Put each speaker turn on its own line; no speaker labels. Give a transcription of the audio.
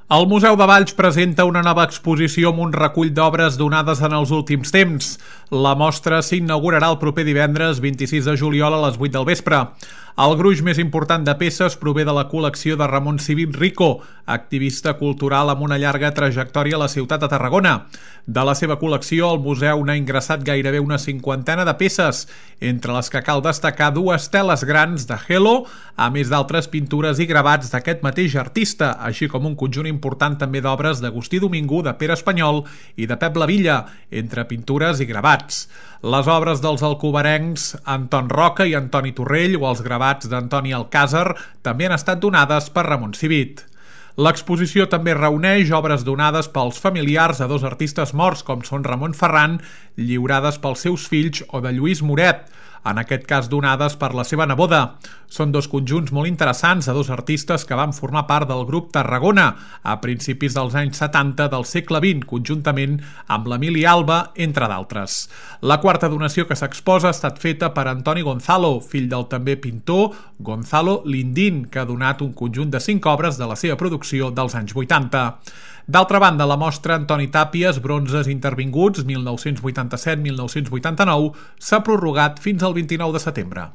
El Museu de Valls presenta una nova exposició amb un recull d'obres donades en els últims temps. La mostra s'inaugurarà el proper divendres 26 de juliol a les 8 del vespre. El gruix més important de peces prové de la col·lecció de Ramon Civit Rico, activista cultural amb una llarga trajectòria a la ciutat de Tarragona. De la seva col·lecció, el museu n'ha ingressat gairebé una cinquantena de peces, entre les que cal destacar dues teles grans de Helo, a més d'altres pintures i gravats d'aquest mateix artista, així com un conjunt important també d'obres d'Agustí Domingo, de Pere Espanyol i de Pep Lavilla, entre pintures i gravats. Les obres dels alcobarencs Anton Roca i Antoni Torrell o els gravats d'Antoni Alcàsser també han estat donades per Ramon Civit. L'exposició també reuneix obres donades pels familiars a dos artistes morts com són Ramon Ferran, lliurades pels seus fills, o de Lluís Moret, en aquest cas donades per la seva neboda. Són dos conjunts molt interessants de dos artistes que van formar part del grup Tarragona a principis dels anys 70 del segle XX, conjuntament amb l'Emili Alba, entre d'altres. La quarta donació que s'exposa ha estat feta per Antoni Gonzalo, fill del també pintor Gonzalo Lindín, que ha donat un conjunt de 5 obres de la seva producció dels anys 80. D'altra banda, la mostra Antoni Tàpies, bronzes intervinguts 1987-1989, s'ha prorrogat fins al 29 de setembre.